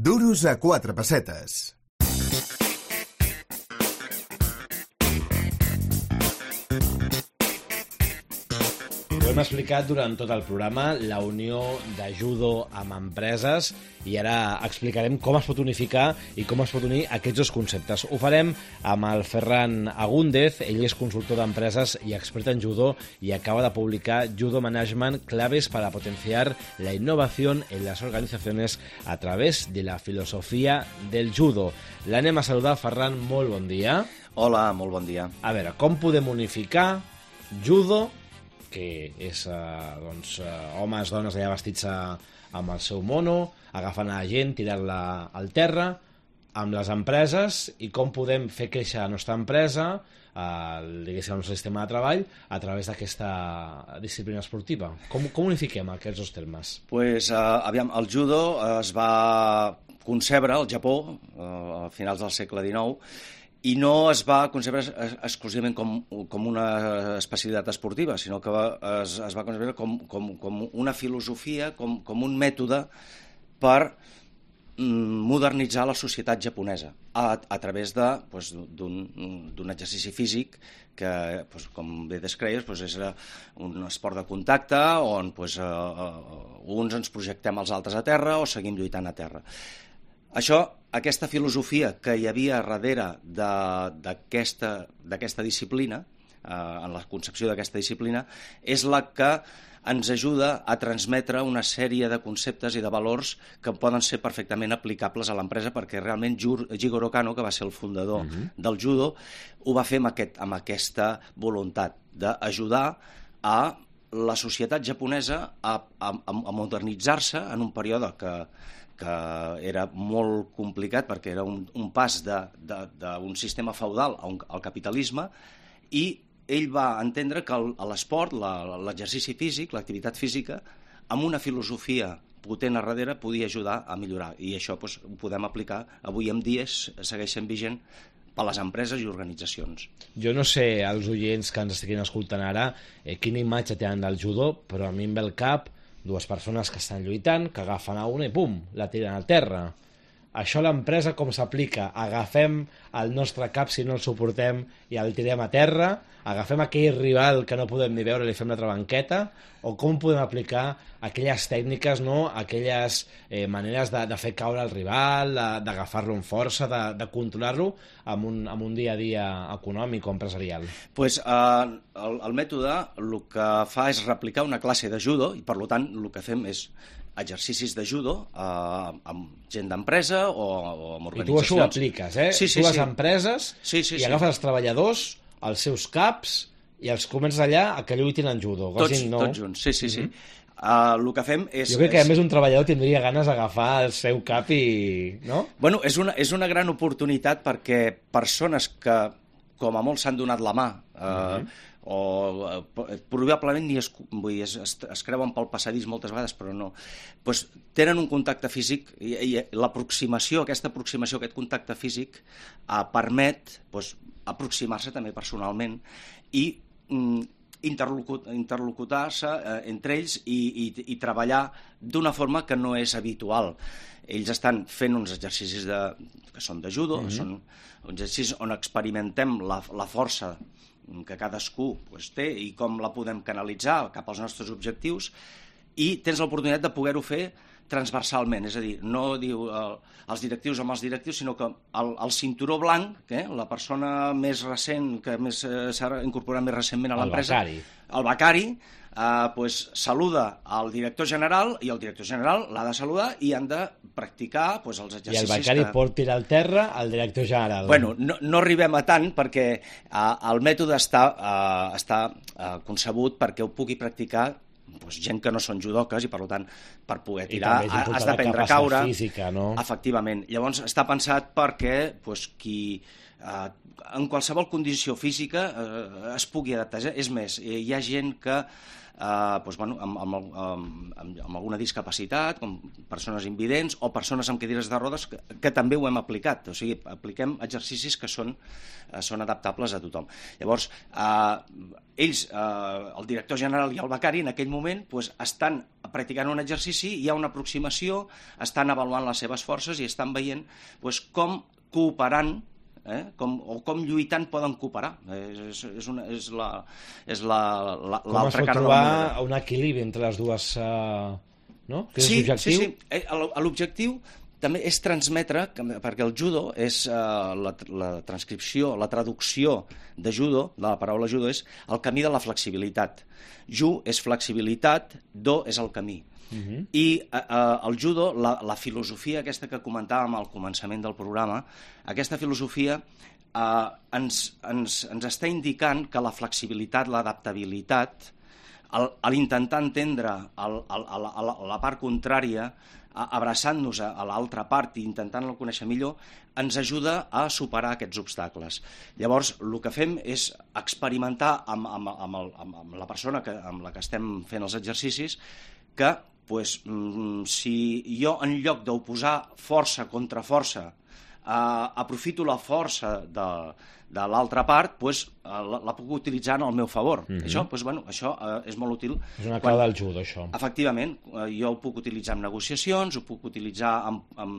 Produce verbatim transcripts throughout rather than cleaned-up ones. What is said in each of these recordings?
Duros a quatre pessetes. Ho hem explicat durant tot el programa, la unió de judo amb empreses, i ara explicarem com es pot unificar i com es pot unir aquests dos conceptes. Ho farem amb el Ferran Agúndez. Ell és consultor d'empreses i expert en judo i acaba de publicar Judo Management, claves para potenciar la innovación en las organizaciones a través de la filosofía del judo. L'anem a saludar. Ferran, molt bon dia. Hola, molt bon dia. A veure, com podem unificar judo, que és eh, doncs, eh, homes, dones allà vestits a, amb el seu mono, agafant a la gent, tirant-la al terra, amb les empreses, i com podem fer créixer la nostra empresa, eh, diguéssim, el nostre sistema de treball, a través d'aquesta disciplina esportiva. Com, com unifiquem aquests dos termes? Pues, uh, aviam, el judo es va concebre al Japó uh, a finals del segle dinou, i no es va concebre exclusivament com, com una especialitat esportiva, sinó que va, es, es va concebre com, com, com una filosofia, com, com un mètode per modernitzar la societat japonesa a, a través de, pues, d'un exercici físic que, pues, com bé descreies, pues, és un esport de contacte on pues, uh, uns ens projectem als altres a terra o seguim lluitant a terra. Això, aquesta filosofia que hi havia darrere d'aquesta disciplina, eh, en la concepció d'aquesta disciplina, és la que ens ajuda a transmetre una sèrie de conceptes i de valors que poden ser perfectament aplicables a l'empresa, perquè realment Jigoro Kano, que va ser el fundador uh-huh. del judo, ho va fer amb, aquest, amb aquesta voluntat d'ajudar a la societat japonesa a, a, a modernitzar-se en un període que que era molt complicat perquè era un, un pas d'un sistema feudal al capitalisme, i ell va entendre que l'esport, l'exercici físic, l'activitat física, amb una filosofia potent a darrere podia ajudar a millorar, i això doncs, ho podem aplicar avui en dia, segueix sent vigent per a les empreses i organitzacions. Jo no sé, els oients que ens estiguin escoltant ara, eh, quina imatge tenen del judo, però a mi em ve al cap dues persones que estan lluitant, que agafen a una i pum, la tiren al terra. Això a l'empresa com s'aplica? Agafem el nostre cap si no el suportem i el tirem a terra? Agafem aquell rival que no podem ni veure i li fem la trabanqueta? O com podem aplicar aquelles tècniques, no? Aquelles eh, maneres de, de fer caure el rival, d'agafar-lo amb força, de, de controlar-lo amb un, amb un dia a dia econòmic o empresarial? Pues, eh, el, el mètode el que fa és replicar una classe de judo, i per tant el que fem és exercicis de judo eh, amb gent d'empresa o, o amb organitzacions. I tu això ho apliques, eh? Sí, sí, tu vas sí. a empreses sí, sí, i sí. agafes els treballadors, els seus caps, i els comences allà a que lluitin en judo. Tots, no? tots junts, sí, sí, sí. Uh-huh. Uh, el que fem és... Jo crec que és... a més un treballador tindria ganes d'agafar el seu cap i... no? Bueno, és una, és una gran oportunitat perquè persones que, com a molt, s'han donat la mà, eh, uh-huh. o eh, probablement ni es, vull dir, es, es, es creuen pel passadís moltes vegades, però no, pues, tenen un contacte físic, i, i l'aproximació, aquesta aproximació, aquest contacte físic eh, permet pues, aproximar-se també personalment i mm, interlocutar-se eh, entre ells i, i, i treballar d'una forma que no és habitual. Ells estan fent uns exercicis de, que són de judo, mm-hmm. són exercicis on experimentem la, la força que cadascú pues, té i com la podem canalitzar cap als nostres objectius, i tens l'oportunitat de poder-ho fer transversalment, és a dir, no diu eh, els directius amb els directius, sinó que el, el cinturó blanc, eh, la persona més recent, que més eh, s'ha incorporat més recentment a l'empresa, el becari, el becari eh, pues, saluda al director general, i el director general l'ha de saludar i han de practicar pues, els exercicis. I el becari que... pot tirar al terra al director general. Bueno, no, no arribem a tant perquè eh, el mètode està, eh, està eh, concebut perquè ho pugui practicar pues, gent que no són judoques, i per tant per poder tirar has d'aprendre a caure física, no? Efectivament. Llavors està pensat perquè pues, qui eh, en qualsevol condició física eh, es pugui adaptar. És més, hi ha gent que Uh, doncs, bueno, amb, amb, amb, amb, amb alguna discapacitat, com persones invidents o persones amb cadires de rodes, que, que també ho hem aplicat. O sigui, apliquem exercicis que són, uh, són adaptables a tothom. Llavors, uh, ells, uh, el director general i el becari, en aquell moment, doncs, estan practicant un exercici, hi ha una aproximació, estan avaluant les seves forces i estan veient doncs, com cooperant Eh? Com, o com lluitant poden cooperar. És, és, una, és la és la, la, com es pot trobar un equilibri entre les dues, uh, no? Que és sí, l'objectiu? Sí, sí. L'objectiu també és transmetre, perquè el judo és uh, la, la transcripció, la traducció de judo, de la paraula judo, és el camí de la flexibilitat. Ju és flexibilitat, do és el camí. Uh-huh. I eh, el judo, la, la filosofia aquesta que comentàvem al començament del programa, aquesta filosofia eh, ens, ens, ens està indicant que la flexibilitat, l'adaptabilitat, a l'intentar entendre el, el, el, la, la part contrària, abraçant-nos a, a l'altra part i intentant-la conèixer millor, ens ajuda a superar aquests obstacles. Llavors, el que fem és experimentar amb, amb, amb, el, amb la persona que, amb la que estem fent els exercicis que pues, si jo en lloc d'oposar força contra força eh, aprofito la força de, de l'altra part, pues, la, la puc utilitzar en el meu favor. Mm-hmm. Això, pues, bueno, això eh, és molt útil. És una clau del judo, això. Efectivament, eh, jo ho puc utilitzar en negociacions, ho puc utilitzar en, en,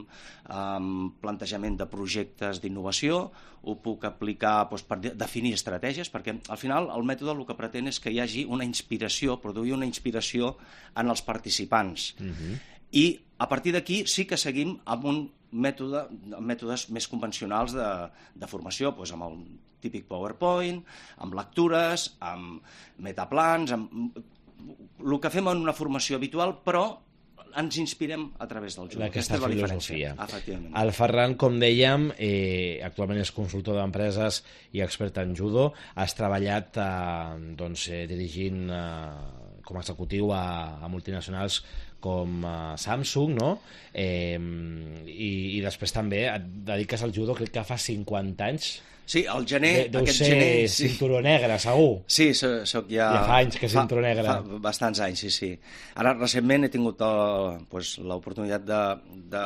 en plantejament de projectes d'innovació, ho puc aplicar doncs, per definir estratègies, perquè al final el mètode el que pretén és que hi hagi una inspiració, produir una inspiració en els participants. Mm-hmm. I a partir d'aquí sí que seguim amb un mètode, mètodes més convencionals de, de formació, doncs amb el típic PowerPoint, amb lectures, amb metaplans, amb el que fem en una formació habitual, però ens inspirem a través del judo. Aquesta és la filosofia. Efectivament. El Ferran, com dèiem, eh, actualment és consultor d'empreses i expert en judo. Has treballat eh, doncs, eh, dirigint eh, com a executiu a, a multinacionals com uh, Samsung, no? Eh, i, i després també et dediques al judo, crec que fa cinquanta anys. Sí, el gener... De, deu aquest ser gener, cinturó sí. negre, segur. Sí, soc ja... Ja fa anys que és cinturó negre. Fa, fa bastants anys, sí, sí. Ara, recentment, he tingut uh, pues, l'oportunitat de, de,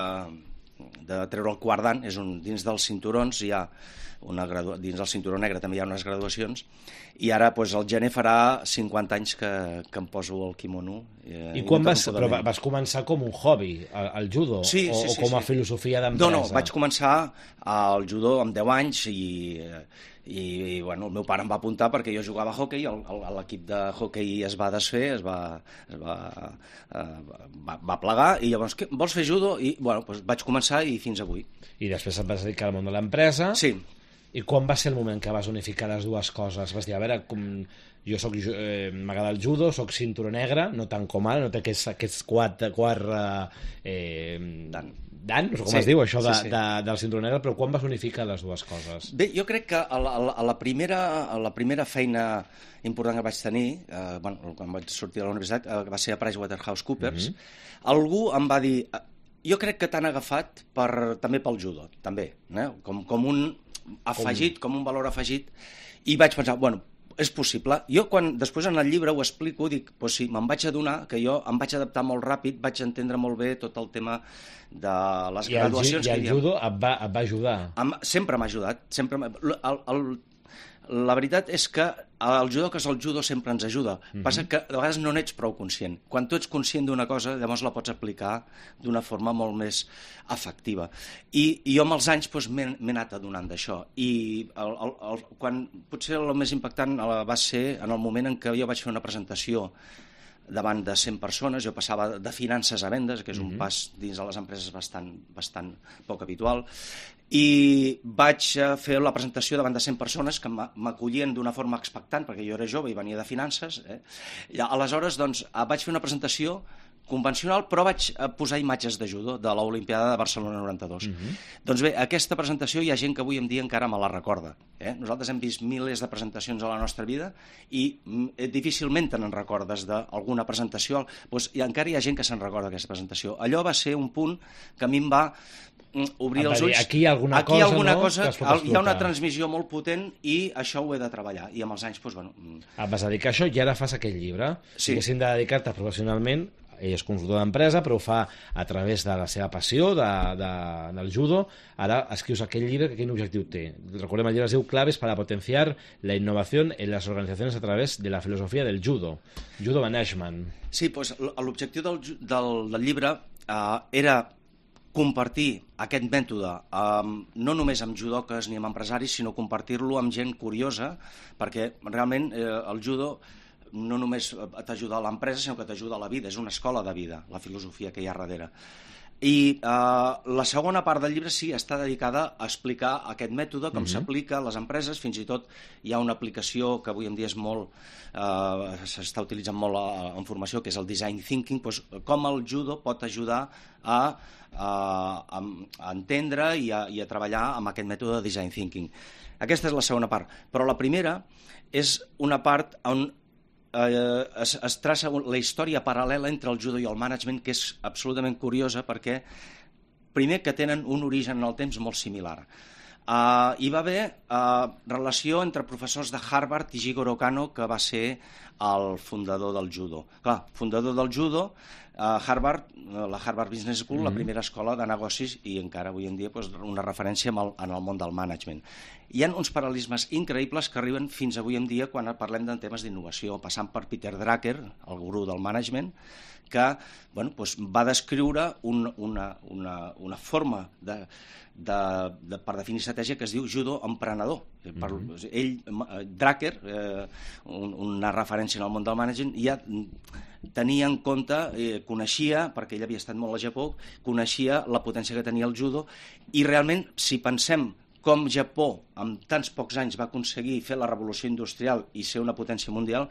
de treure el quart dan, és un, dins dels cinturons hi ha una gradua... dins del cinturó negre també hi ha unes graduacions, i ara pues, el gener farà cinquanta anys que, que em poso el quimono. Eh, I quan vas, però vas començar com un hobby, el, el judo? Sí, o, sí, sí, o com a sí. filosofia d'empresa? No, no, vaig començar al judo amb deu anys i, i, i bueno, el meu pare em va apuntar perquè jo jugava a hoquei, l'equip de hoquei es va desfer, es va, es va, eh, va, va plegar, i llavors, què, vols fer judo? I bueno, doncs vaig començar i fins avui. I després et vas dedicar al món de l'empresa? Sí. I quan va ser el moment que vas unificar les dues coses? Vas dir, a veure, com jo soc, eh, m'agrada el judo, soc cinturó negre, no tant com ara, no té aquests, aquests quatre, quatre eh, dan, dan, no sé com sí, es diu això de, sí, sí. De, del cinturó negre, però quan vas unificar les dues coses? Bé, jo crec que a la, a la, primera, a la primera feina important que vaig tenir, eh, bueno, quan vaig sortir de la universitat, eh, va ser a PricewaterhouseCoopers, mm-hmm. algú em va dir, jo crec que t'han agafat per, també pel judo, també, eh? com, com un afegit, com... com un valor afegit, i vaig pensar, bueno, és possible. Jo, quan després en el llibre ho explico, dic, pues sí, me'n vaig adonar que jo em vaig adaptar molt ràpid, vaig entendre molt bé tot el tema de les I graduacions. El, I el judo et va, et va ajudar? Em, sempre m'ha ajudat. Sempre el, el, la veritat és que el judo, que és el judo, sempre ens ajuda. Mm-hmm. Passa que de vegades no n'ets prou conscient. Quan tu ets conscient d'una cosa, llavors la pots aplicar d'una forma molt més efectiva. I, i jo amb els anys doncs, m'he anat adonant d'això. I el, el, el, quan, potser el més impactant va ser en el moment en què jo vaig fer una presentació davant de cent persones, jo passava de finances a vendes, que és un mm-hmm. pas dins de les empreses bastant, bastant poc habitual, i vaig fer la presentació davant de cent persones que m'acollien d'una forma expectant, perquè jo era jove i venia de finances. Eh? I aleshores doncs, vaig fer una presentació convencional, però vaig posar imatges de judo de l'Olimpiada de Barcelona noranta-dos. Mm-hmm. Doncs bé, aquesta presentació hi ha gent que avui en dia encara me la recorda. Eh? Nosaltres hem vist milers de presentacions a la nostra vida i difícilment te'n recordes d'alguna presentació, doncs, i encara hi ha gent que se'n recorda d'aquesta presentació. Allò va ser un punt que a mi em va obrir els ulls. Aquí hi ha alguna aquí cosa, alguna no? cosa que es pot explotar. hi ha una transmissió molt potent i això ho he de treballar. I amb els anys, doncs, bueno... Et vas dedicar a això i ara fas aquell llibre. Sí. Diguéssim de dedicar-te professionalment, ell és consultor d'empresa, però ho fa a través de la seva passió de, de, del judo. Ara escrius aquell llibre que quin objectiu té. Recordem, el llibre es diu Claves para potenciar la innovación en las organizaciones a través de la filosofía del judo. Judo Management. Sí, doncs l'objectiu del, del, del llibre eh, era compartir aquest mètode eh, no només amb judoques ni amb empresaris, sinó compartir-lo amb gent curiosa, perquè realment eh, el judo no només t'ajuda a l'empresa, sinó que t'ajuda a la vida. És una escola de vida, la filosofia que hi ha darrere. I eh, la segona part del llibre sí està dedicada a explicar aquest mètode, com Mm-hmm. s'aplica a les empreses. Fins i tot hi ha una aplicació que avui en dia és molt, eh, s'està utilitzant molt a, en formació, que és el design thinking, doncs, com el judo pot ajudar a, a, a entendre i a, i a treballar amb aquest mètode de design thinking. Aquesta és la segona part. Però la primera és una part on Eh, es, es traça la història paral·lela entre el judo i el management, que és absolutament curiosa perquè, primer, que tenen un origen en el temps molt similar. Uh, hi va haver uh, relació entre professors de Harvard i Jigoro Kano, que va ser el fundador del judo. Clar, fundador del judo, uh, Harvard, la Harvard Business School, mm-hmm. la primera escola de negocis i encara avui en dia doncs, una referència en el, en el món del management. Hi ha uns paral·lelismes increïbles que arriben fins avui en dia quan parlem de temes d'innovació, passant per Peter Drucker, el gurú del management, que bueno, doncs va descriure un, una, una, una forma de, de, de, per definir estratègia que es diu judo emprenedor. Per, mm-hmm. Ell, Drucker, eh, un, una referència en el món del management, ja tenia en compte, eh, coneixia, perquè ell havia estat molt a Japó, coneixia la potència que tenia el judo, i realment, si pensem com Japó, en tants pocs anys, va aconseguir fer la revolució industrial i ser una potència mundial,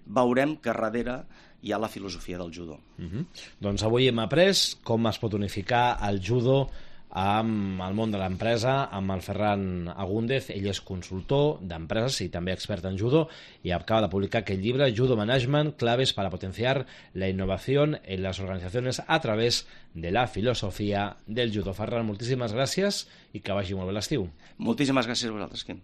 veurem que darrere hi ha la filosofia del judo. Uh-huh. Doncs avui hem après com es pot unificar el judo amb el món de l'empresa, amb el Ferran Agúndez. Ell és consultor d'empreses i també expert en judo i acaba de publicar aquest llibre, Judo Management, claves para potenciar la innovación en las organizaciones a través de la filosofia del judo. Ferran, moltíssimes gràcies i que vagi molt bé l'estiu. Moltíssimes gràcies a vosaltres, Quim.